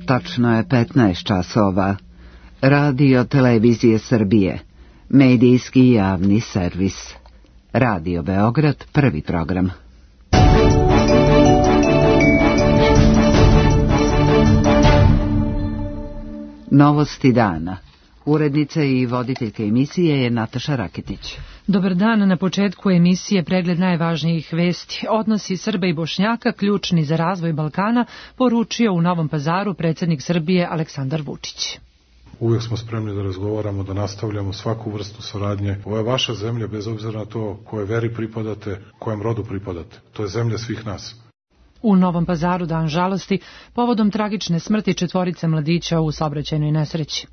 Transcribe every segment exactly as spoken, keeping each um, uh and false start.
Tačno je petnaest časova. Radio Televizije Srbije. Medijski javni servis. Radio Beograd, prvi program. Novosti dana. Urednica i voditeljka emisije je Nataša Raketić. Dobar dan, na početku emisije pregled najvažnijih vesti. Odnosi Srba i Bošnjaka, ključni za razvoj Balkana, poručio u Novom Pazaru predsjednik Srbije Aleksandar Vučić. Uvijek smo spremni da razgovaramo, da nastavljamo svaku vrstu saradnje. Ovo je vaša zemlja, bez obzira na to koje veri pripadate, kojem rodu pripadate. To je zemlja svih nas. U Novom Pazaru dan žalosti povodom tragične smrti četvorice mladića u saobraćajnoj nesreći.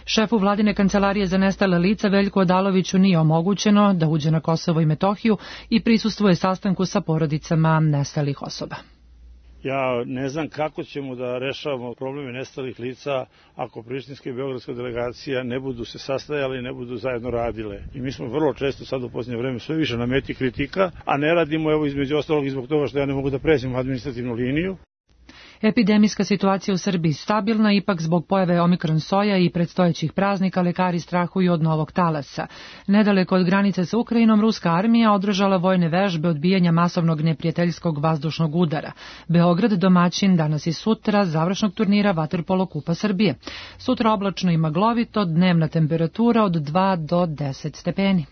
Šefu vladine kancelarije za nestale lica Veljku Odaloviću nije omogućeno da uđe na Kosovo i Metohiju i prisustvuje sastanku sa porodicama nestalih osoba. Ja ne znam kako ćemo da rešavamo probleme nestalih lica ako prištinska i beogradska delegacija ne budu se sastajale i ne budu zajedno radile. I mi smo vrlo često sad u posljednje vreme sve više na meti kritika, a ne radimo evo između ostalog i zbog toga što ja ne mogu da pređem administrativnu liniju. Epidemijska situacija u Srbiji stabilna, ipak zbog pojave omikron soja i predstojećih praznika lekari strahuju od novog talasa. Nedaleko od granice sa Ukrajinom, ruska armija održala vojne vežbe odbijanja masovnog neprijateljskog vazdušnog udara. Beograd domaćin danas i sutra završnog turnira vaterpolo Kupa Srbije. Sutra oblačno i maglovito, dnevna temperatura od dva do deset stepeni.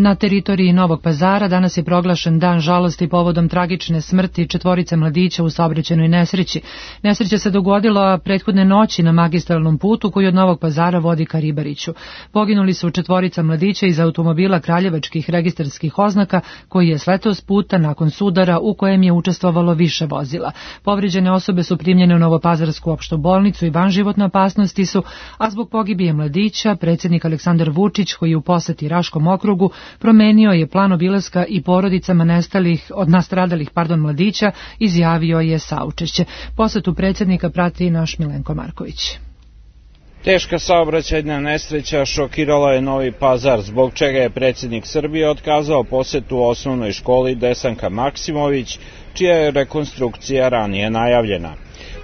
Na teritoriji Novog Pazara danas je proglašen dan žalosti povodom tragične smrti četvorice mladića u saobraćajnoj nesreći. Nesreća se dogodila prethodne noći na magistralnom putu koji od Novog Pazara vodi ka Ribariću. Poginuli su četvorica mladića iz automobila kraljevačkih registarskih oznaka koji je sletao s puta nakon sudara u kojem je učestvovalo više vozila. Povrijeđene osobe su primljene u Novopazarsku opštu bolnicu i van životne opasnosti su, a zbog pogibije mladića predsjednik Aleksandar Vučić, koji je u poseti Raškom okrugu, promenio je plan obilaska i porodicama nestalih, od nastradalih pardon, mladića, izjavio je saučešće. Posetu predsjednika prati naš Milenko Marković. Teška saobraćajna nesreća šokirala je Novi Pazar, zbog čega je predsjednik Srbije otkazao posetu osnovnoj školi Desanka Maksimović, čija je rekonstrukcija ranije najavljena.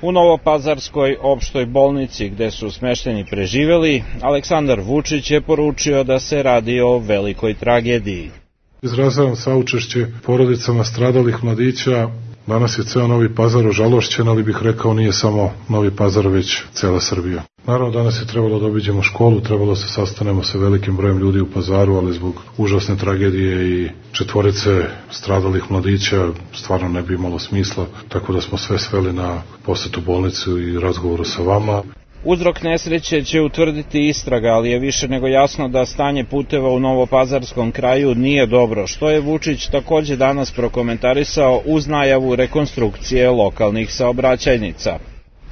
U Novopazarskoj opštoj bolnici gde su smešteni preživeli, Aleksandar Vučić je poručio da se radi o velikoj tragediji. Izražavam saučešće porodicama stradalih mladića. Danas je ceo Novi Pazar ožalošćen, ali bih rekao nije samo Novi Pazar, već cela Srbija. Naravno, danas je trebalo da obiđemo školu, trebalo se sastanemo sa velikim brojem ljudi u Pazaru, ali zbog užasne tragedije i četvorice stradalih mladića stvarno ne bi imalo smisla, tako da smo sve sveli na posetu bolnicu i razgovoru sa vama. Uzrok nesreće će utvrditi istraga, ali je više nego jasno da stanje puteva u Novopazarskom kraju nije dobro, što je Vučić takođe danas prokomentarisao uz najavu rekonstrukcije lokalnih saobraćajnica.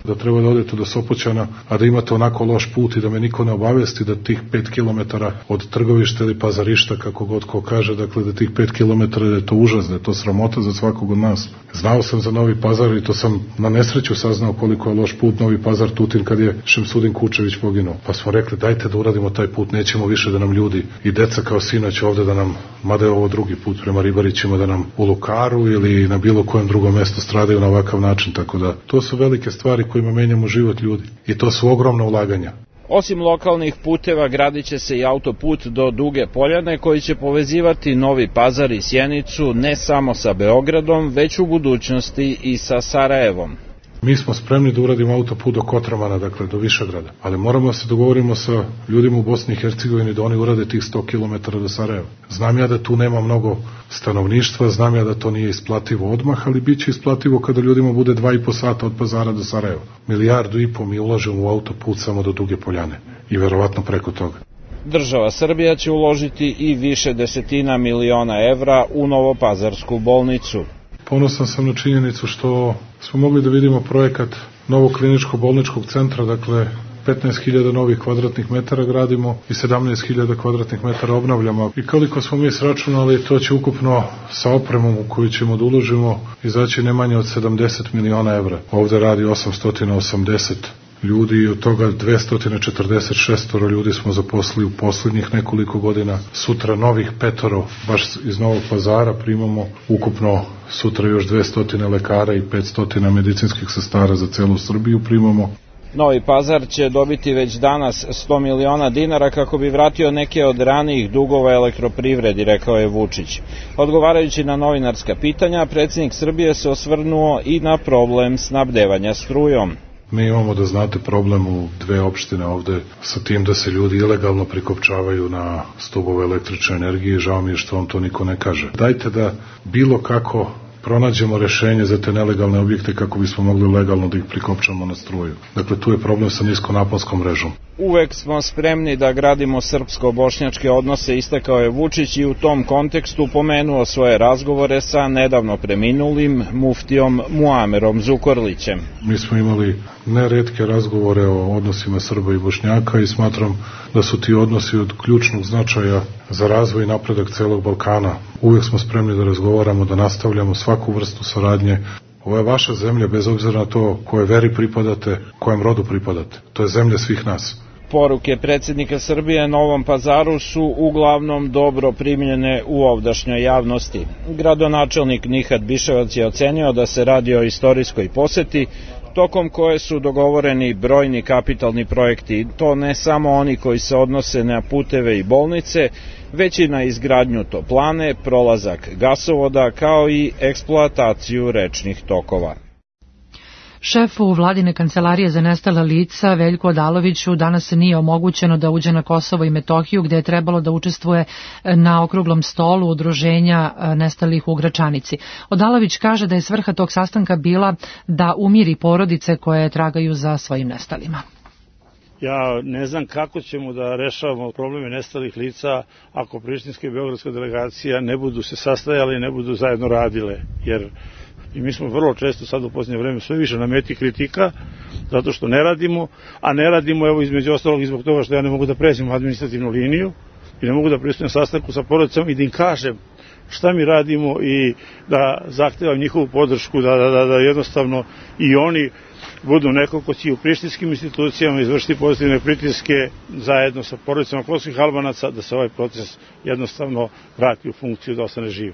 Da treba da odete do Sopoćana, a da imate onako loš put i da me niko ne obavesti da tih pet kilometara od Trgovišta ili Pazarišta, kako god ko kaže, dakle da tih pet kilometara da je to užas, da je to sramota za svakog od nas. Znao sam za Novi Pazar i to sam na nesreću saznao koliko je loš put Novi Pazar-Tutin kad je Šemsudin Kučević poginuo. Pa smo rekli dajte da uradimo taj put, nećemo više da nam ljudi i deca kao sinoć ovde da nam, mada je ovo drugi put prema Ribarićima, da nam u Lukaru ili na bilo kojem drugom mestu stradaju na ovakav način, tako da to su velike stvari kojima menjamo život ljudi i to su ogromna ulaganja. Osim lokalnih puteva, gradit će se i autoput do Duge Poljane koji će povezivati Novi Pazar i Sjenicu ne samo sa Beogradom, već u budućnosti i sa Sarajevom. Mi smo spremni da uradimo autoput do Kotromana, dakle do Višegrada, ali moramo da se dogovorimo sa ljudima u Bosni i Hercegovini da oni urade tih sto kilometara do Sarajeva. Znam ja da tu nema mnogo stanovništva, znam ja da to nije isplativo odmah, ali bit će isplativo kada ljudima bude dva i po sata od Pazara do Sarajeva. Milijardu i po mi ulažemo u autoput samo do Duge Poljane i verovatno preko toga. Država Srbija će uložiti i više desetina miliona evra u Novopazarsku bolnicu. Ponosan sam na činjenicu što smo mogli da vidimo projekat novog kliničko-bolničkog centra, dakle petnaest hiljada novih kvadratnih metara gradimo i sedamnaest hiljada kvadratnih metara obnavljamo. I koliko smo mi sračunali, to će ukupno sa opremom u koju ćemo da uložimo izaći ne manje od sedamdeset miliona evra. Ovde radi osamsto osamdeset ljudi i od toga dvesta četrdeset šest ljudi smo zaposlili u poslednjih nekoliko godina. Sutra novih petoro, baš iz Novog Pazara, primamo ukupno sutra još dvesta lekara i petsto medicinskih sestara za celu Srbiju primamo. Novi Pazar će dobiti već danas sto miliona dinara kako bi vratio neke od ranijih dugova elektroprivredi, rekao je Vučić. Odgovarajući na novinarska pitanja, predsjednik Srbije se osvrnuo i na problem snabdevanja strujom. Mi imamo, da znate, problem u dve opštine ovde sa tim da se ljudi ilegalno prikopčavaju na stubove električne energije. Žao mi je što vam to niko ne kaže. Dajte da bilo kako pronađemo rešenje za te nelegalne objekte kako bismo mogli legalno da ih prikopčamo na struju. Dakle, tu je problem sa niskonaponskom mrežom. Uvek smo spremni da gradimo srpsko-bošnjačke odnose, istakao je Vučić i u tom kontekstu pomenuo svoje razgovore sa nedavno preminulim muftijom Muamerom Zukorlićem. Mi smo imali neretke razgovore o odnosima Srba i Bošnjaka i smatram da su ti odnosi od ključnog značaja za razvoj i napredak celog Balkana. Uvek smo spremni da razgovaramo, da nastavljamo svaku vrstu saradnje. Ovo je vaša zemlja, bez obzira na to koje veri pripadate, kojem rodu pripadate. To je zemlja svih nas. Poruke predsjednika Srbije Novom Pazaru su uglavnom dobro primljene u ovdašnjoj javnosti. Gradonačelnik Nihat Biševac je ocenio da se radi o istorijskoj poseti, tokom koje su dogovoreni brojni kapitalni projekti, to ne samo oni koji se odnose na puteve i bolnice, već i na izgradnju toplane, prolazak gasovoda, kao i eksploataciju rečnih tokova. Šefu vladine kancelarije za nestala lica Veljku Odaloviću danas nije omogućeno da uđe na Kosovo i Metohiju, gde je trebalo da učestvuje na okruglom stolu udruženja nestalih u Gračanici. Odalović kaže da je svrha tog sastanka bila da umiri porodice koje tragaju za svojim nestalima. Ja ne znam kako ćemo da rešavamo probleme nestalih lica ako prištinska i beogradska delegacija ne budu se sastajale i ne budu zajedno radile, jer i mi smo vrlo često sad u posljednje vreme sve više na meti kritika zato što ne radimo, a ne radimo evo između ostalog i zbog toga što ja ne mogu da pređem administrativnu liniju i ne mogu da pristujem sastanku sa porodicama i da im kažem šta mi radimo i da zahtevam njihovu podršku, da, da, da, da jednostavno i oni budu neko ko će u prištinskim institucijama izvršiti pozitivne pritiske zajedno sa porodicama kosovskih Albanaca da se ovaj proces jednostavno vrati u funkciju da ostane živ.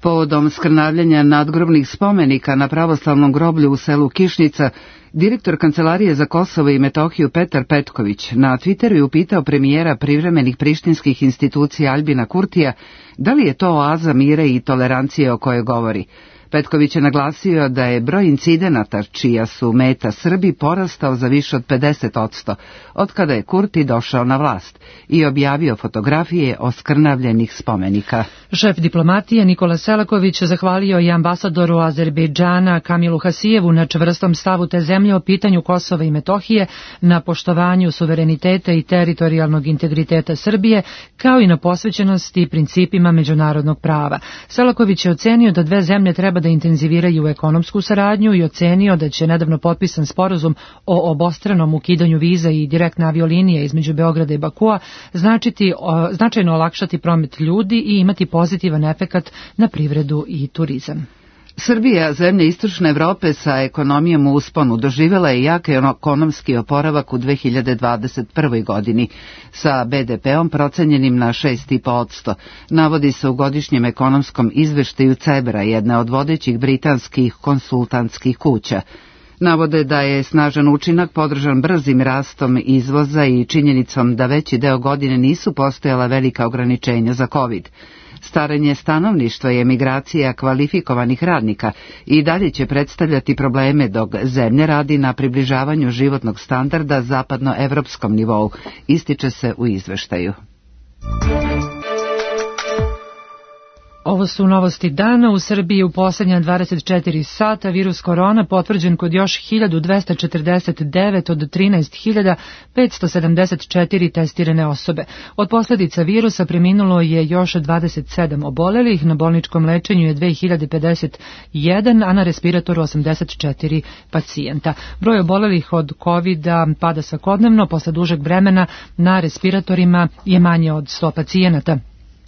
Povodom skrnavljanja nadgrobnih spomenika na pravoslavnom groblju u selu Kišnica, direktor Kancelarije za Kosovo i Metohiju Petar Petković na Twitteru je upitao premijera privremenih prištinskih institucija Aljbina Kurtija da li je to oaza mira i tolerancije o kojoj govori. Petković je naglasio da je broj incidenata čija su meta Srbi porastao za više od pedeset posto od kada je Kurti došao na vlast i objavio fotografije oskrnavljenih spomenika. Šef diplomatije Nikola Selaković zahvalio i ambasadoru Azerbejdžana Kamilu Hasijevu na čvrstom stavu te zemlje o pitanju Kosova i Metohije, na poštovanju suvereniteta i teritorijalnog integriteta Srbije, kao i na posvećenosti principima međunarodnog prava. Selaković je ocenio da dve zemlje treba da intenziviraju ekonomsku saradnju i ocenio da će nedavno potpisan sporazum o obostranom ukidanju viza i direktne aviolinije između Beograda i Bakua značiti, značajno olakšati promet ljudi i imati pozitivan efekat na privredu i turizam. Srbija, zemlja istočne Evrope sa ekonomijom u usponu, doživjela je jak ekonomski oporavak u dve hiljade dvadeset prvoj. godini sa be de peom procenjenim na šest zarez pet posto. Navodi se u godišnjem ekonomskom izveštaju Cebra, jedne od vodećih britanskih konsultantskih kuća. Navode da je snažan učinak podržan brzim rastom izvoza i činjenicom da veći deo godine nisu postojala velika ograničenja za COVID. Staranje stanovništva i emigracija kvalifikovanih radnika i dalje će predstavljati probleme dok zemlja radi na približavanju životnog standarda zapadnoevropskom nivou, ističe se u izveštaju. Ovo su novosti dana. U Srbiji u posljednja dvadeset četiri sata virus korona potvrđen kod još hiljadu dvesta četrdeset devet od trinaest hiljada petsto sedamdeset četiri testirane osobe. Od posljedica virusa preminulo je još dvadeset sedam obolelih, na bolničkom lečenju je dve hiljade pedeset jedan, a na respiratoru osamdeset četiri pacijenta. Broj obolelih od kovida pada svakodnevno, posle dužeg vremena na respiratorima je manje od sto pacijenata.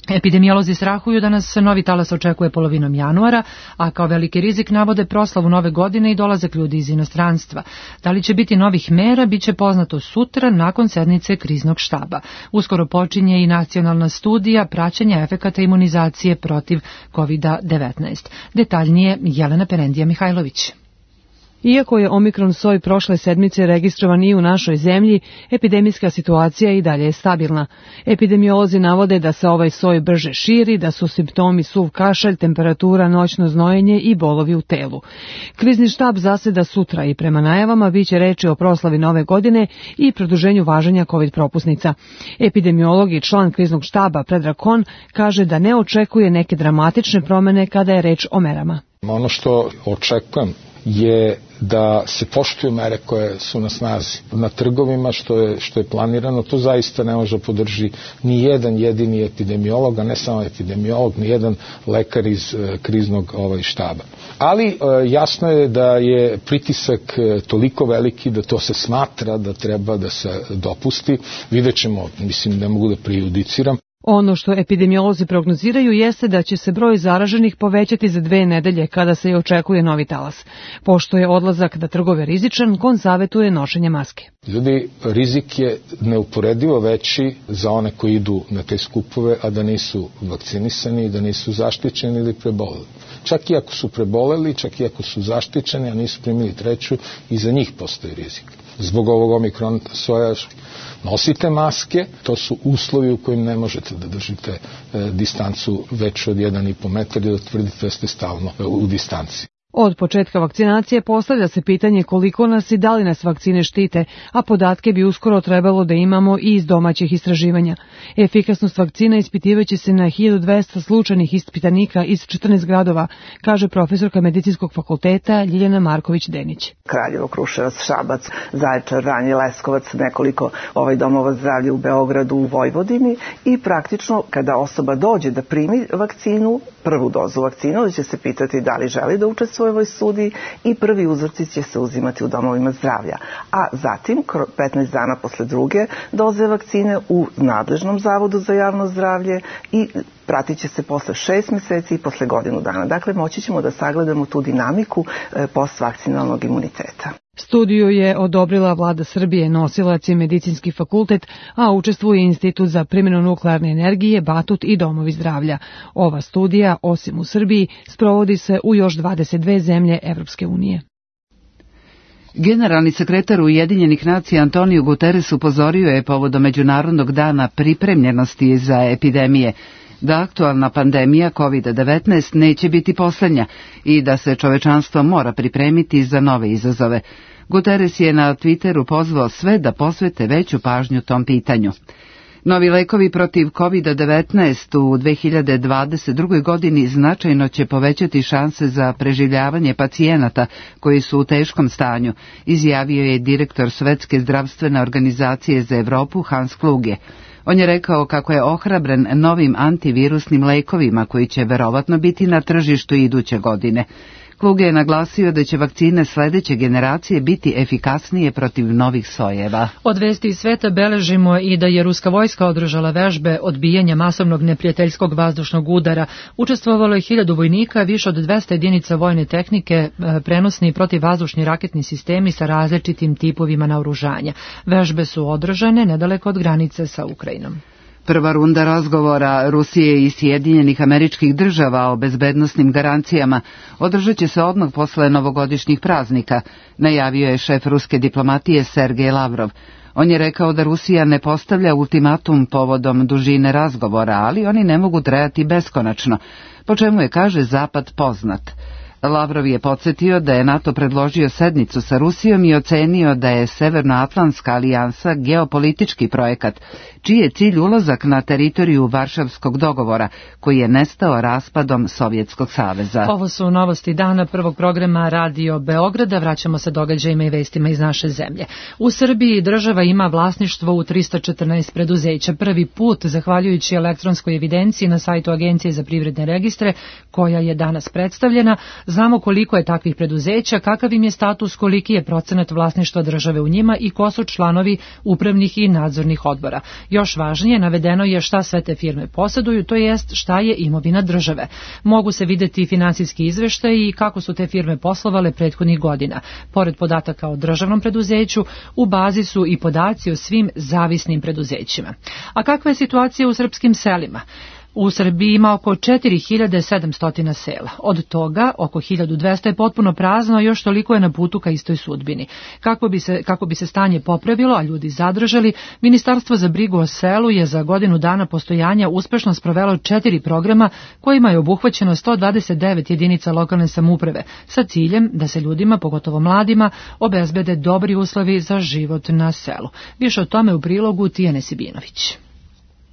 Epidemiolozi strahuju da nas novi talas očekuje polovinom januara, a kao veliki rizik navode proslavu nove godine i dolazak ljudi iz inostranstva. Da li će biti novih mera, bit će poznato sutra nakon sednice kriznog štaba. Uskoro počinje i nacionalna studija praćenja efekata imunizacije protiv kovid devetnaest. Detaljnije Jelena Perendija Mihajlović. Iako je omikron soj prošle sedmice registrovan i u našoj zemlji, epidemijska situacija i dalje je stabilna. Epidemiolozi navode da se ovaj soj brže širi, da su simptomi suv kašalj, temperatura, noćno znojenje i bolovi u telu. Krizni štab zaseda sutra i prema najavama biće reči o proslavi nove godine i produženju važenja covid propusnica. Epidemiolog i član kriznog štaba Predrag Kon kaže da ne očekuje neke dramatične promene kada je reč o merama. Ono što očekujem je da se poštuju mere koje su na snazi na trgovima, što je, što je planirano. To zaista ne može podrži ni jedan jedini epidemiolog, a ne samo epidemiolog, ni jedan lekar iz e, kriznog ovaj, štaba. Ali e, jasno je da je pritisak e, toliko veliki da to se smatra da treba da se dopusti. Vidjet ćemo, mislim, ne mogu da prejudiciram. Ono što epidemiolozi prognoziraju jeste da će se broj zaraženih povećati za dve nedelje kada se i očekuje novi talas. Pošto je odlazak na trgove rizičan, Kon savjetuje nošenje maske. Ljudi, rizik je neuporedivo veći za one koji idu na te skupove, a da nisu vakcinisani, da nisu zaštićeni ili preboleli. Čak i ako su preboleli, čak i ako su zaštićeni, a nisu primili treću, i za njih postoji rizik. Zbog ovog omikron soja nosite maske, to su uslovi u kojim ne možete da držite e, distancu veću od jedan i po metar i da tvrdite da ste stalno e, u distanci. Od početka vakcinacije postavlja se pitanje koliko nas i da li nas vakcine štite, a podatke bi uskoro trebalo da imamo i iz domaćih istraživanja. Efikasnost vakcina ispitivaće se na hiljadu dvesta slučajnih ispitanika iz četrnaest gradova, kaže profesorka Medicinskog fakulteta Ljiljana Marković-Denić. Kraljevo, Kruševac, Šabac, Zaječar, Vranje, Leskovac, nekoliko ovaj domova zdravlja u Beogradu, u Vojvodini i praktično kada osoba dođe da primi vakcinu, prvu dozu vakcine, da će se pitati da li želi da učestvuje u ovoj studiji i prvi uzorci će se uzimati u domovima zdravlja. A zatim, petnaest dana posle druge doze vakcine u nadležnom zavodu za javno zdravlje i pratit će se posle šest meseci i posle godinu dana. Dakle, moći ćemo da sagledamo tu dinamiku postvakcinalnog imuniteta. Studiju je odobrila vlada Srbije, nosilac je Medicinski fakultet, a učestvuje Institut za primjenu nuklearne energije, Batut i domovi zdravlja. Ova studija, osim u Srbiji, sprovodi se u još dvadeset dve zemlje Evropske unije. Generalni sekretar Ujedinjenih nacija Antonio Guterres upozorio je povodom Međunarodnog dana pripremljenosti za epidemije da aktualna pandemija kovid devetnaest neće biti poslednja i da se čovečanstvo mora pripremiti za nove izazove. Guterres je na Twitteru pozvao sve da posvete veću pažnju tom pitanju. Novi lekovi protiv kovid devetnaest u dve hiljade dvadeset drugoj. godini značajno će povećati šanse za preživljavanje pacijenata koji su u teškom stanju, izjavio je direktor Svetske zdravstvene organizacije za Evropu Hans Kluge. On je rekao kako je ohrabren novim antivirusnim lekovima koji će verovatno biti na tržištu iduće godine. Kluge je naglasio da će vakcine sledeće generacije biti efikasnije protiv novih sojeva. Od vesti iz sveta beležimo i da je ruska vojska održala vežbe odbijanja masovnog neprijateljskog vazdušnog udara. Učestvovalo je hiljadu vojnika, više od dvesta jedinica vojne tehnike, prenosni protivvazdušni raketni sistemi sa različitim tipovima naoružanja. Vežbe su održane nedaleko od granice sa Ukrajinom. Prva runda razgovora Rusije i Sjedinjenih Američkih Država o bezbednosnim garancijama održat će se odmah posle novogodišnjih praznika, najavio je šef ruske diplomatije Sergej Lavrov. On je rekao da Rusija ne postavlja ultimatum povodom dužine razgovora, ali oni ne mogu trajati beskonačno, po čemu je, kaže, Zapad poznat. Lavrov je podsjetio da je NATO predložio sednicu sa Rusijom i ocenio da je Severnoatlantska alijansa geopolitički projekat, čiji je cilj ulazak na teritoriju Varšavskog dogovora, koji je nestao raspadom Sovjetskog saveza. Ovo su novosti dana prvog programa Radio Beograda. Vraćamo se događajima i vestima iz naše zemlje. U Srbiji država ima vlasništvo u trista četrnaest preduzeća. Prvi put, zahvaljujući elektronskoj evidenciji na sajtu Agencije za privredne registre, koja je danas predstavljena, Znamo koliko je takvih preduzeća, kakav im je status, koliki je procenat vlasništva države u njima i ko su članovi upravnih i nadzornih odbora. Još važnije, navedeno je šta sve te firme poseduju, to jest šta je imovina države. Mogu se videti finansijski izveštaj i kako su te firme poslovale prethodnih godina. Pored podataka o državnom preduzeću, u bazi su i podaci o svim zavisnim preduzećima. A kakva je situacija u srpskim selima? U Srbiji ima oko četiri hiljade sedamsto sela. Od toga oko hiljadu dvesta je potpuno prazno, a još toliko je na putu ka istoj sudbini. Kako bi se, kako bi se stanje popravilo, a ljudi zadržali, Ministarstvo za brigu o selu je za godinu dana postojanja uspešno sprovelo četiri programa kojima je obuhvaćeno sto dvadeset devet jedinica lokalne samouprave sa ciljem da se ljudima, pogotovo mladima, obezbede dobri uslovi za život na selu. Više o tome u prilogu Tijane Sibinović.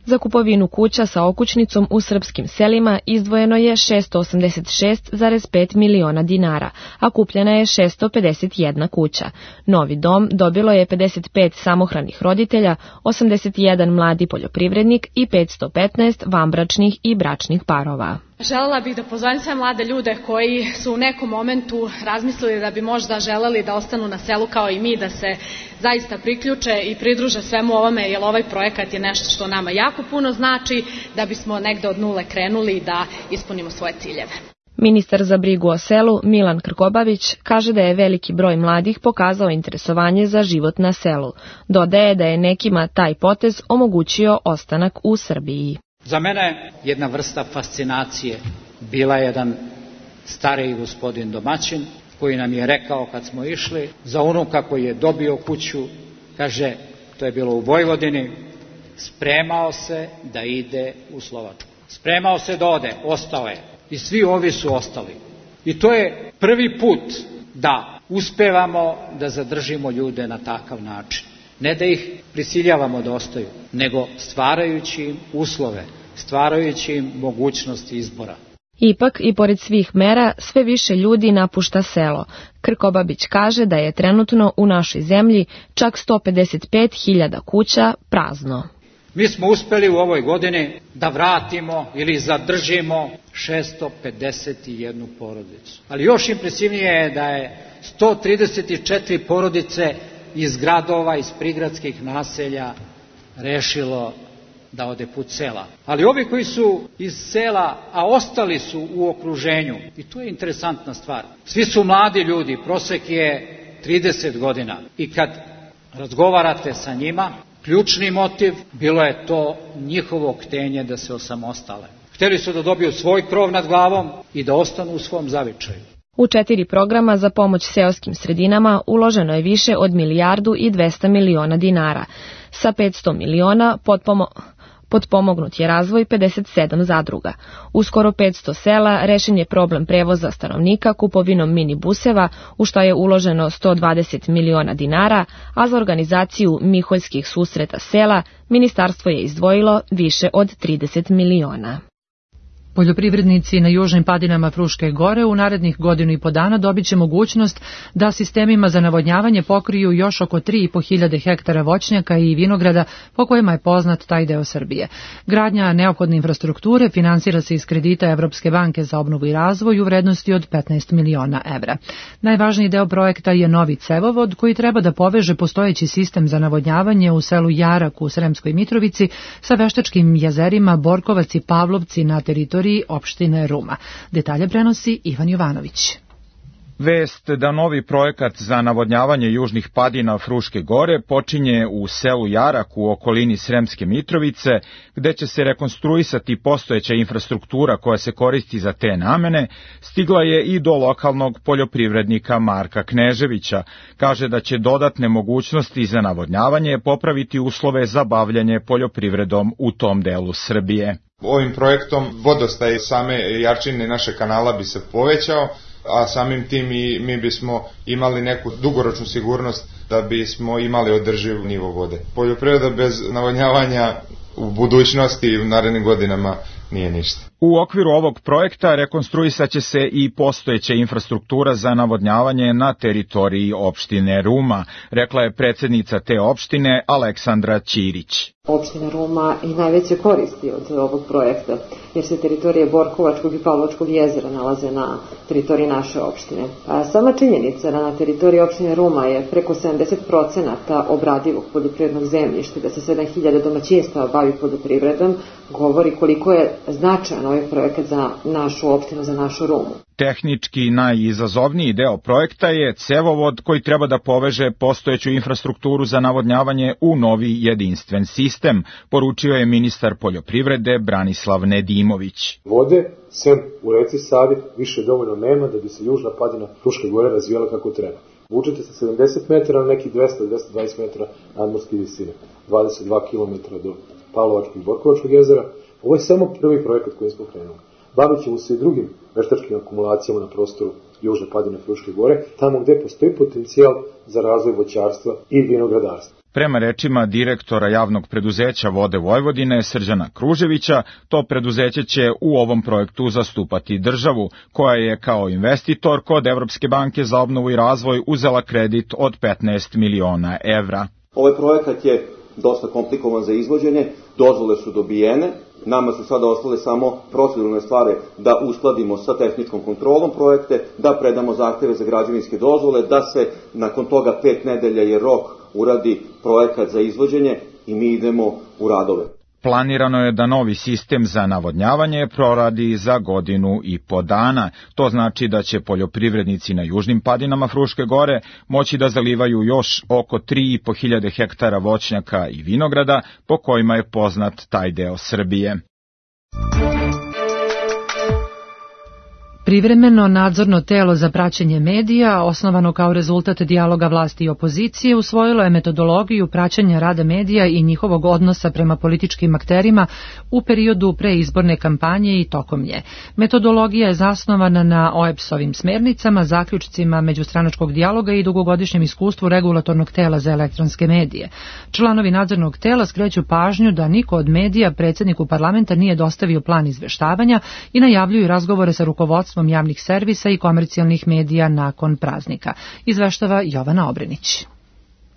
Za kupovinu kuća sa okućnicom u srpskim selima izdvojeno je šessto osamdeset šest zarez pet miliona dinara, a kupljena je šessto pedeset jedna kuća. Novi dom dobilo je pedeset pet samohranih roditelja, osamdeset jedan mladi poljoprivrednik i petsto petnaest vanbračnih i bračnih parova. Želela bih da pozovem sve mlade ljude koji su u nekom momentu razmislili da bi možda želeli da ostanu na selu kao i mi, da se zaista priključe i pridruže svemu ovome, jer ovaj projekat je nešto što nama jako puno znači, da bismo negde od nule krenuli da ispunimo svoje ciljeve. Ministar za brigu o selu Milan Krkobabić kaže da je veliki broj mladih pokazao interesovanje za život na selu. Dodaje da je nekima taj potez omogućio ostanak u Srbiji. Za mene jedna vrsta fascinacije bila jedan stariji gospodin domaćin koji nam je rekao kad smo išli za unuka koji je dobio kuću, kaže, to je bilo u Vojvodini, spremao se da ide u Slovačku. Spremao se da ode, ostao je. I svi ovi su ostali. I to je prvi put da uspevamo da zadržimo ljude na takav način. Ne da ih prisiljavamo da ostaju, nego stvarajući im uslove, stvarajući im mogućnosti izbora. Ipak, i pored svih mera, sve više ljudi napušta selo. Krkobabić kaže da je trenutno u našoj zemlji čak sto pedeset pet hiljada kuća prazno. Mi smo uspeli u ovoj godini da vratimo ili zadržimo šessto pedeset jednu porodicu. Ali još impresivnije je da je sto trideset četiri porodice iz gradova, iz prigradskih naselja rešilo da ode put sela. Ali ovi koji su iz sela, a ostali su u okruženju, i to je interesantna stvar, svi su mladi ljudi, prosek je trideset godina. I kad razgovarate sa njima, ključni motiv bilo je to njihovo htenje da se osamostale. Hteli su da dobiju svoj krov nad glavom i da ostanu u svom zavičaju. U četiri programa za pomoć seoskim sredinama uloženo je više od milijardu i dvesta miliona dinara. Sa petsto miliona potpomo... potpomognut je razvoj pedeset sedam zadruga. U skoro petsto sela rešen je problem prevoza stanovnika kupovinom minibuseva, u što je uloženo sto dvadeset miliona dinara, a za organizaciju miholjskih susreta sela ministarstvo je izdvojilo više od trideset miliona. Poljoprivrednici na južnim padinama Fruške gore u narednih godinu i po dana dobit će mogućnost da sistemima za navodnjavanje pokriju još oko tri i po hiljade hektara voćnjaka i vinograda po kojima je poznat taj deo Srbije. Gradnja neophodne infrastrukture finansira se iz kredita Evropske banke za obnovu i razvoj u vrednosti od petnaest miliona evra. Najvažniji deo projekta je novi cevovod koji treba da poveže postojeći sistem za navodnjavanje u selu Jarak u Sremskoj Mitrovici sa veštačkim jezerima Borkovac i Pavlovci na teritoriji opštine Ruma. Detalje prenosi Ivan Jovanović. Vest da novi projekat za navodnjavanje južnih padina Fruške gore počinje u selu Jarak u okolini Sremske Mitrovice, gde će se rekonstruisati postojeća infrastruktura koja se koristi za te namene, stigla je i do lokalnog poljoprivrednika Marka Kneževića. Kaže da će dodatne mogućnosti za navodnjavanje popraviti uslove za bavljanje poljoprivredom u tom delu Srbije. Ovim projektom vodostaj same jačine naše kanala bi se povećao, a samim tim i mi bismo imali neku dugoročnu sigurnost da bismo imali održiv nivo vode. Poljoprivreda bez navodnjavanja u budućnosti i u narednim godinama nije ništa. U okviru ovog projekta rekonstruisat će se i postojeća infrastruktura za navodnjavanje na teritoriji opštine Ruma, rekla je predsednica te opštine Aleksandra Ćirić. Opština Ruma i najveće koristi od ovog projekta, jer se teritorije Borkovačkog i Pavlovačkog jezera nalaze na teritoriji naše opštine. A sama činjenica da na teritoriji opštine Ruma je preko sedamdeset procenata obradivog poljoprivrednog zemljišta, da se sedam hiljada domaćinstava bavi poljoprivredom, govori koliko je značajan ovaj projekat za našu opštinu, za našu Rumu. Tehnički najizazovniji deo projekta je cevovod koji treba da poveže postojeću infrastrukturu za navodnjavanje u novi jedinstven sistem, poručio je ministar poljoprivrede Branislav Nedimović. Vode, sem u reci Savi, više dovoljno nema da bi se južna padina Fruške gore razvijala kako treba. Vučete sa sedamdeset metara na neki dvesta do dvesta dvadeset metara nadmorske visine, dvadeset dva kilometra do Pavlovačkog i Borkovačkog jezera. Ovo je samo prvi projekat koji smo krenuli. Bavit ćemo se i drugim veštačkim akumulacijama na prostoru južne padine Fruške gore, tamo gde postoji potencijal za razvoj voćarstva i vinogradarstva. Prema rečima direktora javnog preduzeća Vode Vojvodine Srđana Kruževića, to preduzeće će u ovom projektu zastupati državu, koja je kao investitor kod Evropske banke za obnovu i razvoj uzela kredit od petnaest miliona evra. Ovaj projekat je dosta komplikovan za izvođenje, dozvole su dobijene, nama su sada ostale samo proceduralne stvari da uskladimo sa tehničkom kontrolom projekte, da predamo zahteve za građevinske dozvole, da se nakon toga pet nedelja je rok uradi projekat za izvođenje i mi idemo u radove. Planirano je da novi sistem za navodnjavanje proradi za godinu i po dana. To znači da će poljoprivrednici na južnim padinama Fruške gore moći da zalivaju još oko tri i po hiljade hektara voćnjaka i vinograda, po kojima je poznat taj deo Srbije. Privremeno nadzorno telo za praćenje medija, osnovano kao rezultat dijaloga vlasti i opozicije, usvojilo je metodologiju praćenja rada medija i njihovog odnosa prema političkim akterima u periodu preizborne kampanje i tokom nje. Metodologija je zasnovana na O E B S-ovim smernicama, zaključcima međustranačkog dijaloga i dugogodišnjem iskustvu regulatornog tela za elektronske medije. Članovi nadzornog tela skreću pažnju da niko od medija predsjedniku parlamenta nije dostavio plan izveštavanja i najavljuju razgovore sa rukovodstvom javnih servisa i komercijalnih medija nakon praznika, izveštava Jovana Obrenić.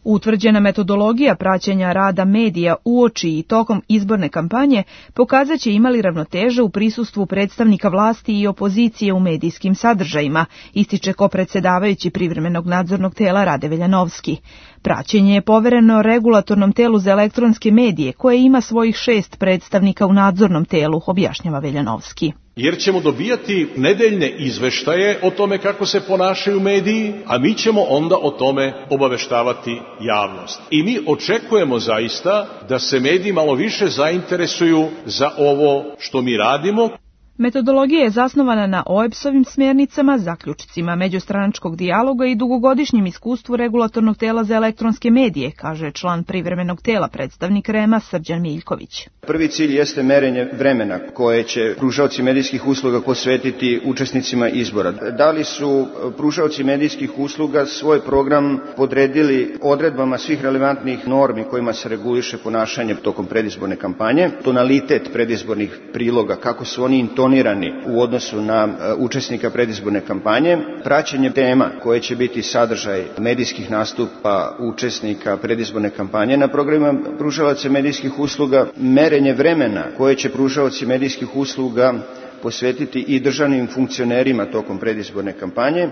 Utvrđena metodologija praćenja rada medija uoči i tokom izborne kampanje pokazat će imali ravnoteža u prisustvu predstavnika vlasti i opozicije u medijskim sadržajima, ističe kopredsedavajući privremenog nadzornog tela Rade Veljanovski. Praćenje je povereno regulatornom telu za elektronske medije, koje ima svojih šest predstavnika u nadzornom telu, objašnjava Veljanovski. Jer ćemo dobijati nedeljne izveštaje o tome kako se ponašaju mediji, a mi ćemo onda o tome obaveštavati javnost. I mi očekujemo zaista da se mediji malo više zainteresuju za ovo što mi radimo. Metodologija je zasnovana na O E B S-ovim smjernicama, zaključcima međustranačkog dijaloga i dugogodišnjem iskustvu regulatornog tela za elektronske medije, kaže član privremenog tela, predstavnik R E M-a Srđan Miljković. Prvi cilj jeste merenje vremena koje će pružaoci medijskih usluga posvetiti učesnicima izbora. Da li su pružaoci medijskih usluga svoj program podredili odredbama svih relevantnih normi kojima se reguliše ponašanje tokom predizborne kampanje, tonalitet predizbornih priloga, kako su oni intonirani u odnosu na učesnika predizborne kampanje, praćenje tema koje će biti sadržaj medijskih nastupa učesnika predizborne kampanje na programima pružalaca medijskih usluga, merenje vremena koje će pružaoci medijskih usluga posvetiti i državnim funkcionerima tokom predizborne kampanje.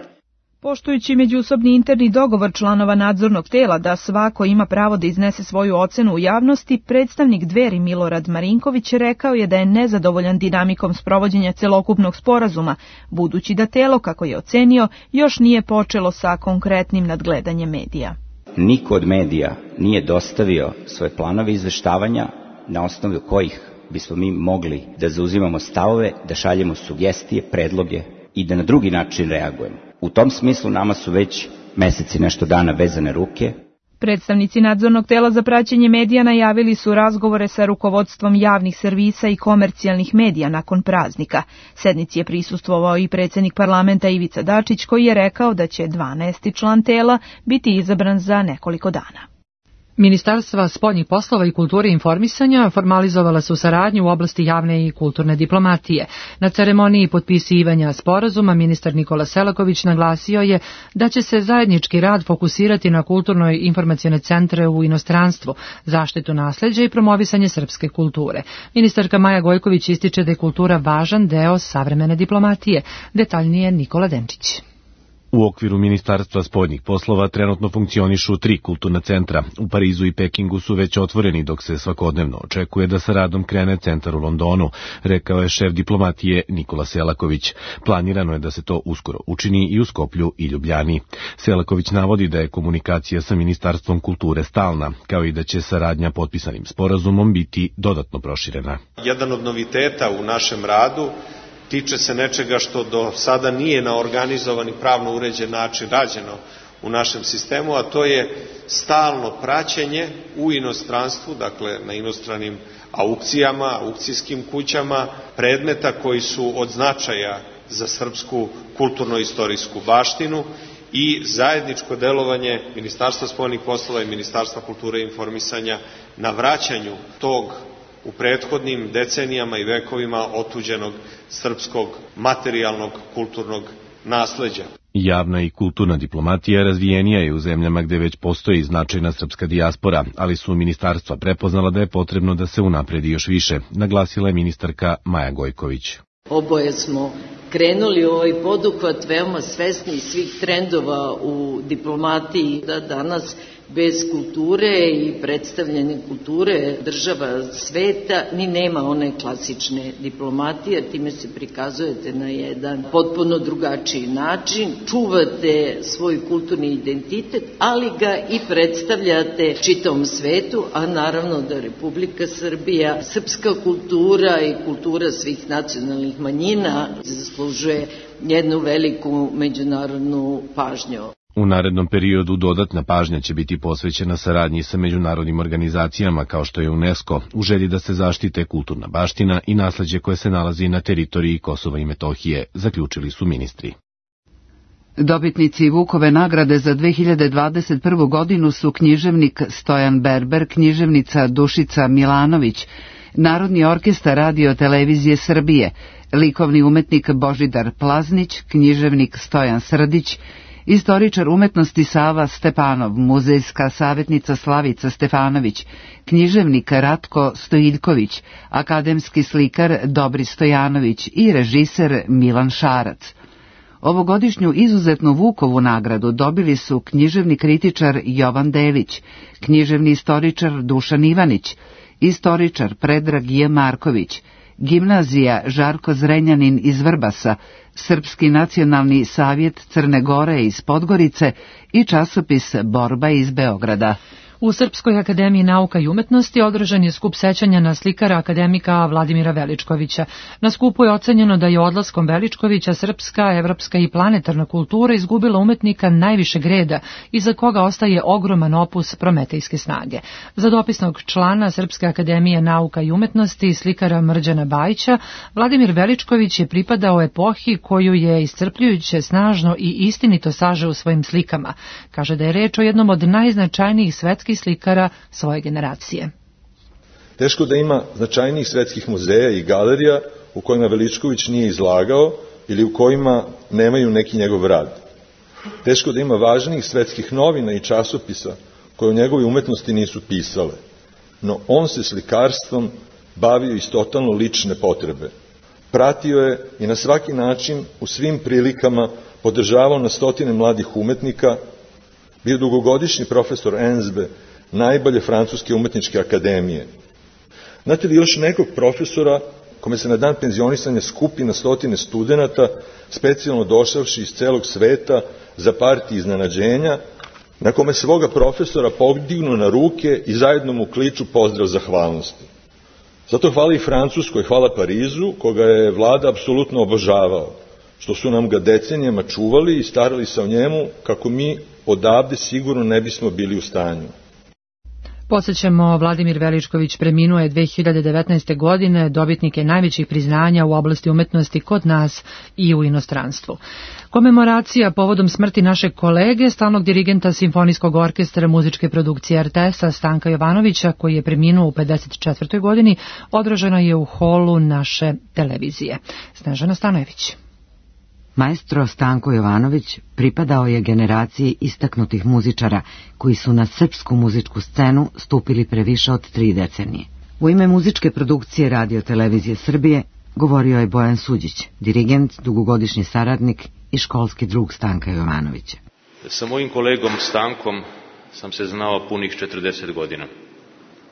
Poštujući međusobni interni dogovor članova nadzornog tela da svako ima pravo da iznese svoju ocenu u javnosti, predstavnik Dveri Milorad Marinković rekao je da je nezadovoljan dinamikom sprovođenja celokupnog sporazuma, budući da telo, kako je ocenio, još nije počelo sa konkretnim nadgledanjem medija. Niko od medija nije dostavio svoje planove izveštavanja na osnovu kojih bismo mi mogli da zauzimamo stavove, da šaljemo sugestije, predloge i da na drugi način reagujemo. U tom smislu nama su već meseci nešto dana vezane ruke. Predstavnici nadzornog tela za praćenje medija najavili su razgovore sa rukovodstvom javnih servisa i komercijalnih medija nakon praznika. Sednici je prisustvovao i predsjednik parlamenta Ivica Dačić, koji je rekao da će dvanaesti član tela biti izabran za nekoliko dana. Ministarstva spoljnih poslova i kulture i informisanja formalizovala su saradnju u oblasti javne i kulturne diplomatije. Na ceremoniji potpisivanja sporazuma ministar Nikola Selaković naglasio je da će se zajednički rad fokusirati na kulturno i informacione centre u inostranstvu, zaštitu nasleđa i promovisanje srpske kulture. Ministarka Maja Gojković ističe da je kultura važan deo savremene diplomatije. Detaljnije Nikola Denčić. U okviru Ministarstva spoljnih poslova trenutno funkcionišu tri kulturna centra. U Parizu i Pekingu su već otvoreni, dok se svakodnevno očekuje da sa radom krene centar u Londonu, rekao je šef diplomatije Nikola Selaković. Planirano je da se to uskoro učini i u Skoplju i Ljubljani. Selaković navodi da je komunikacija sa Ministarstvom kulture stalna, kao i da će saradnja potpisanim sporazumom biti dodatno proširena. Jedan od noviteta u našem radu tiče se nečega što do sada nije na organizovan i pravno uređen način rađeno u našem sistemu, a to je stalno praćenje u inostranstvu, dakle na inostranim aukcijama, aukcijskim kućama, predmeta koji su od značaja za srpsku kulturno-istorijsku baštinu i zajedničko delovanje Ministarstva spoljnih poslova i Ministarstva kulture i informisanja na vraćanju tog u prethodnim decenijama i vekovima otuđenog srpskog materijalnog kulturnog nasleđa. Javna i kulturna diplomatija razvijenija je u zemljama gde već postoji značajna srpska dijaspora, ali su ministarstva prepoznala da je potrebno da se unapredi još više, naglasila je ministarka Maja Gojković. Oboje smo krenuli u ovaj poduhvat veoma svesni svih trendova u diplomatiji, da danas bez kulture i predstavljanja kulture država sveta ni nema one klasične diplomatije, time se prikazujete na jedan potpuno drugačiji način, čuvate svoj kulturni identitet, ali ga i predstavljate čitavom svetu, a naravno da Republika Srbija, srpska kultura i kultura svih nacionalnih manjina zaslužuje jednu veliku međunarodnu pažnju. U narednom periodu dodatna pažnja će biti posvećena saradnji sa međunarodnim organizacijama kao što je UNESCO, u želji da se zaštite kulturna baština i nasleđe koje se nalazi na teritoriji Kosova i Metohije, zaključili su ministri. Dobitnici Vukove nagrade za dve hiljade dvadeset prvu godinu su književnik Stojan Berber, književnica Dušica Milanović, Narodni orkestar Radio televizije Srbije, likovni umetnik Božidar Plaznić, književnik Stojan Srdić, istoričar umetnosti Sava Stepanov, muzejska savjetnica Slavica Stefanović, književnik Ratko Stojiljković, akademski slikar Dobri Stojanović i režiser Milan Šarac. Ovogodišnju izuzetnu Vukovu nagradu dobili su književni kritičar Jovan Delić, književni istoričar Dušan Ivanić, istoričar Predrag J. Marković, Gimnazija Žarko Zrenjanin iz Vrbasa, Srpski nacionalni savjet Crne Gore iz Podgorice i časopis Borba iz Beograda. U Srpskoj akademiji nauka i umetnosti održan je skup sećanja na slikara akademika Vladimira Veličkovića. Na skupu je ocenjeno da je odlaskom Veličkovića srpska, evropska i planetarna kultura izgubila umetnika najvišeg reda, iza koga ostaje ogroman opus prometejske snage. Za dopisnog člana Srpske akademije nauka i umetnosti, slikara Mrđana Bajića, Vladimir Veličković je pripadao epohi koju je iscrpljujuće, snažno i istinito sažeo u svojim slikama. Kaže da je reč o jednom od najznačajnijih svetskih slikara svoje generacije. Teško da ima značajnijih svetskih muzeja i galerija u kojima Veličković nije izlagao ili u kojima nemaju neki njegov rad. Teško da ima važnijih svetskih novina i časopisa koje u njegove umetnosti nisu pisale. No on se slikarstvom bavio iz totalno lične potrebe. Pratio je i na svaki način u svim prilikama podržavao na stotine mladih umetnika, bio dugogodišnji profesor Enzbe, najbolje francuske umetničke akademije. Znate li još nekog profesora kome se na dan penzionisanja skupi na stotine studenata, specijalno došavši iz celog sveta za partije iznenađenja, na kome svoga profesora podignu na ruke i zajedno mu kliču pozdrav zahvalnosti. Zato hvala i Francuskoj, hvala Parizu, koga je vlada apsolutno obožavao, što su nam ga decenijama čuvali i starali se o njemu kako mi odavde sigurno ne bismo bili u stanju. Podsećamo, Vladimir Veličković preminuo je dve hiljade devetnaeste. godine, dobitnik je najvećih priznanja u oblasti umetnosti kod nas i u inostranstvu. Komemoracija povodom smrti našeg kolege, stalnog dirigenta Simfonijskog orkestra muzičke produkcije R T S-a Stanka Jovanovića, koji je preminuo u pedeset četvrtoj. godini, održana je u holu naše televizije. Snežana Stanojević. Maestro Stanko Jovanović pripadao je generaciji istaknutih muzičara koji su na srpsku muzičku scenu stupili pre više od tri decenije. U ime muzičke produkcije Radio Televizije Srbije govorio je Bojan Suđić, dirigent, dugogodišnji saradnik i školski drug Stanka Jovanovića. Sa mojim kolegom Stankom sam se znao punih četrdeset godina,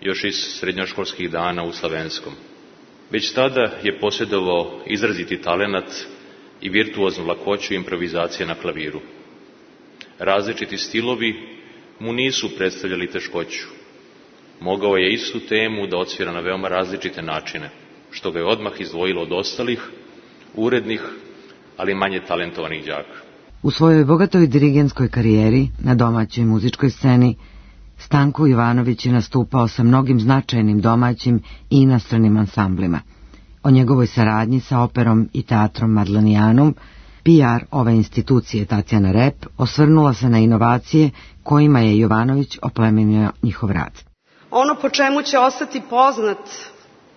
još iz srednjoškolskih dana u Slavenskom. Već tada je posjedovao izraziti talenat i virtuoznu lakoću improvizacije na klaviru. Različiti stilovi mu nisu predstavljali teškoću. Mogao je istu temu da odsvira na veoma različite načine, što ga je odmah izdvojilo od ostalih, urednih, ali manje talentovanih đaka. U svojoj bogatoj dirigentskoj karijeri na domaćoj muzičkoj sceni Stanko Jovanović je nastupao sa mnogim značajnim domaćim i inostranim ansamblima. O njegovoj saradnji sa operom i teatrom Madlanijanum, P R ove institucije Tatjana Rep osvrnula se na inovacije kojima je Jovanović oplemenio njihov rad. Ono po čemu će ostati poznat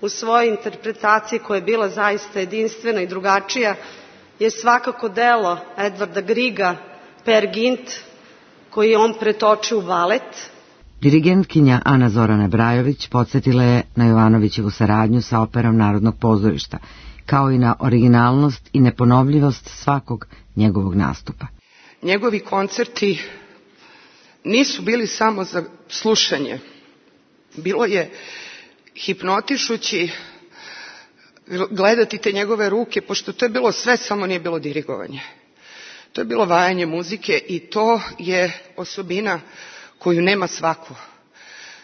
u svojoj interpretaciji, koja je bila zaista jedinstvena i drugačija, je svakako delo Edvarda Griga, Per Gint, koji je on pretočio u balet. Dirigentkinja Ana Zorana Brajović podsjetila je na Jovanovićevu saradnju sa operom Narodnog pozorišta, kao i na originalnost i neponovljivost svakog njegovog nastupa. Njegovi koncerti nisu bili samo za slušanje. Bilo je hipnotišući gledati te njegove ruke, pošto to je bilo sve, samo nije bilo dirigovanje. To je bilo vajanje muzike i to je osobina koju nema svako.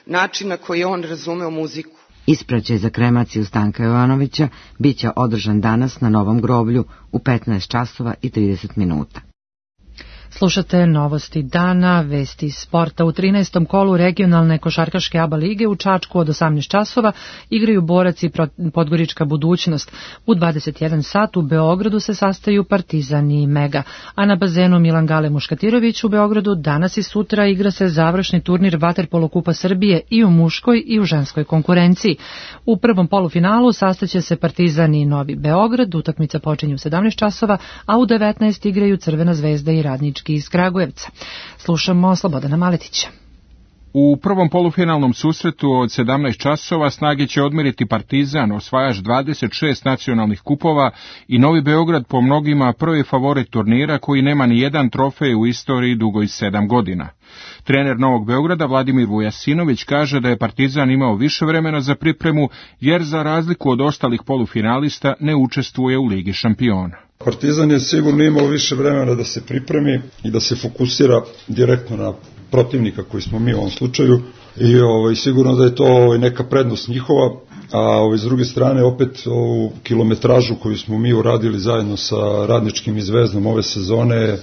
Način na koji on razumeo muziku. Ispraćaj za kremaciju Stanka Jovanovića biće održan danas na Novom groblju u petnaest časova i trideset minuta. Slušate novosti dana, vesti sporta. U trinaestom kolu regionalne košarkaške A B A lige u Čačku od osamnaest časova igraju Borac i Podgorička budućnost. U dvadeset jedan sat u Beogradu se sastaju Partizan i Mega, a na bazenu Milan Gale Muškatirović u Beogradu danas i sutra igra se završni turnir Vaterpolo Kupa Srbije i u muškoj i u ženskoj konkurenciji. U prvom polufinalu sastaće se Partizan i Novi Beograd, utakmica počinje u sedamnaest časova, a u devetnaest igraju Crvena zvezda i Radnički iz Kragujevca. Slušamo Slobodana Maletića. U prvom polufinalnom susretu od sedamnaest časova snage će odmeriti Partizan, osvajač dvadeset šest nacionalnih kupova, i Novi Beograd, po mnogima prvi favorit turnira koji nema ni jedan trofej u istoriji dugoj sedam godina. Trener Novog Beograda Vladimir Vujasinović kaže da je Partizan imao više vremena za pripremu, jer za razliku od ostalih polufinalista ne učestvuje u Ligi šampiona. Partizan je sigurno imao više vremena da se pripremi i da se fokusira direktno na protivnika koji smo mi u ovom slučaju i ovaj, sigurno da je to ovaj, neka prednost njihova, a ovaj, s druge strane opet ovu kilometražu koju smo mi uradili zajedno sa Radničkim i Zvezdom ove sezone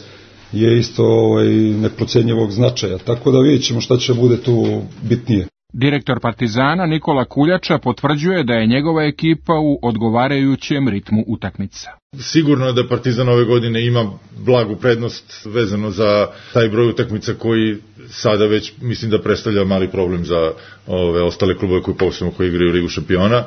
je isto ovaj, neprocenjivog značaja, tako da vidjet ćemo šta će bude tu bitnije. Direktor Partizana Nikola Kuljača potvrđuje da je njegova ekipa u odgovarajućem ritmu utakmica. Sigurno je da Partizan ove godine ima blagu prednost vezano za taj broj utakmica koji sada već mislim da predstavlja mali problem za ove ostale klubove koji posebno koji igraju Ligu šampiona.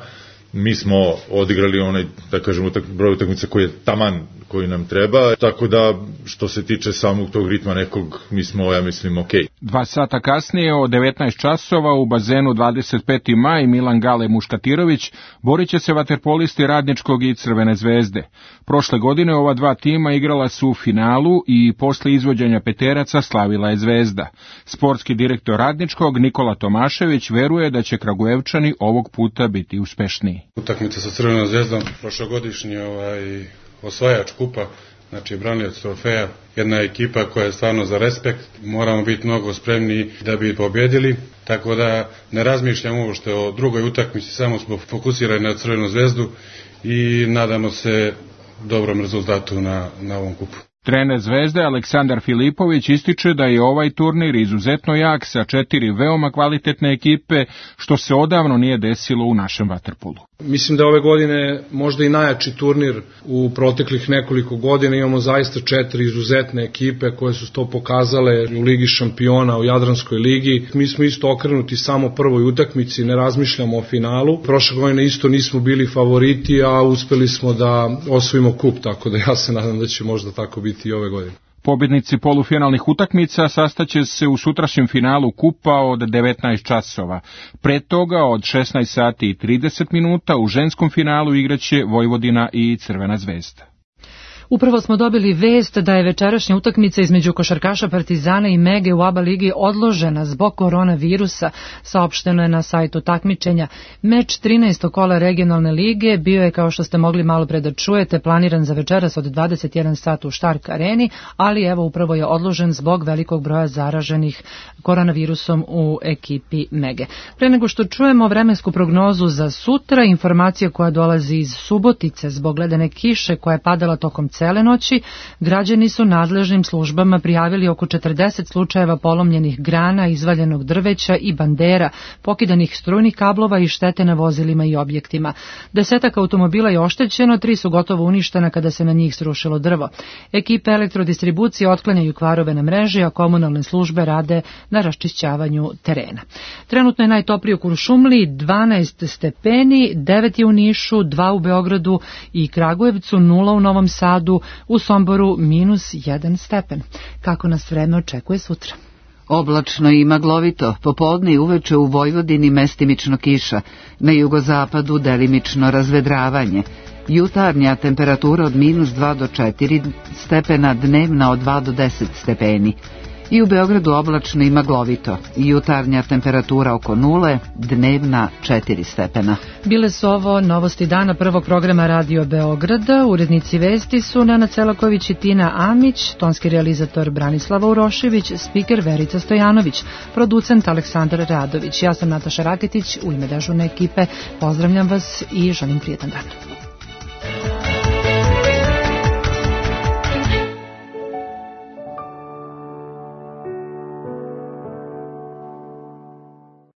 Mi smo odigrali onaj, da kažemo, broj utakmica koji je taman koji nam treba, tako da što se tiče samog tog ritma nekog, mi smo, ja mislim, ok. Dva sata kasnije, od devetnaest časova, u bazenu dvadeset peti maj, Milan Gale Muškatirović borit će se vaterpolisti Radničkog i Crvene zvezde. Prošle godine ova dva tima igrala su u finalu i posle izvođenja peteraca slavila je Zvezda. Sportski direktor Radničkog Nikola Tomašević veruje da će Kragujevčani ovog puta biti uspešniji. Utakmica sa Crvenom zvezdom, prošlogodišnji ovaj, osvajač kupa, znači branilac trofeja, jedna ekipa koja je stvarno za respekt, moramo biti mnogo spremni da bi pobjedili, tako da ne razmišljamo uopšte o drugoj utakmici, samo smo fokusirani na Crvenu zvezdu i nadamo se dobrom rezultatu na, na ovom kupu. Trener Zvezde Aleksandar Filipović ističe da je ovaj turnir izuzetno jak sa četiri veoma kvalitetne ekipe, što se odavno nije desilo u našem vaterpolu. Mislim da ove godine možda i najjači turnir u proteklih nekoliko godina. Imamo zaista četiri izuzetne ekipe koje su to pokazale u Ligi šampiona, u Jadranskoj ligi. Mi smo isto okrenuti samo prvoj utakmici, ne razmišljamo o finalu. Prošle godine isto nismo bili favoriti, a uspeli smo da osvojimo kup, tako da ja se nadam da će možda tako biti i ove godine. Pobjednici polufinalnih utakmica sastaće se u sutrašnjem finalu kupa od devetnaest časova. Pre toga od šesnaest sati i trideset minuta u ženskom finalu igraće Vojvodina i Crvena zvezda. Upravo smo dobili vest da je večerašnja utakmica između košarkaša Partizana i Mege u ABA ligi odložena zbog koronavirusa, saopšteno je na sajtu takmičenja. Meč trinaestog kola regionalne lige bio je, kao što ste mogli malo pre da čujete, planiran za večeras od dvadeset jedan sat u Štark areni, ali evo upravo je odložen zbog velikog broja zaraženih koronavirusom u ekipi Mege. Pre nego što čujemo vremensku prognozu za sutra, informacija koja dolazi iz Subotice zbog ledene kiše koja je padala tokom cele noći, građani su nadležnim službama prijavili oko četrdeset slučajeva polomljenih grana, izvaljenog drveća i bandera, pokidanih strujnih kablova i štete na vozilima i objektima. Desetak automobila je oštećeno, tri su gotovo uništena kada se na njih srušilo drvo. Ekipe elektrodistribucije otklanjaju kvarove na mreži, a komunalne službe rade na raščišćavanju terena. Trenutno je najtoplije u Kuršumliji, dvanaest stepeni, devet je u Nišu, dva u Beogradu i Kragujevcu, nula u Novom Sadu, u Somboru minus jedan stepen. Kako nas vreme očekuje sutra? Oblačno i maglovito, popodne i uveče u Vojvodini mestimično kiša, na jugozapadu delimično razvedravanje. Jutarnja temperatura od minus dva do četiri stepena, dnevna od dva do deset stepeni. I u Beogradu oblačno i maglovito, jutarnja temperatura oko nule, dnevna četiri stepena. Bile su ovo novosti dana prvog programa Radio Beograda. Urednici vesti su Nana Celaković i Tina Amić, tonski realizator Branislava Urošević, spiker Verica Stojanović, producent Aleksandar Radović. Ja sam Nataša Raketić, u ime dežurne ekipe pozdravljam vas i želim prijetan dan.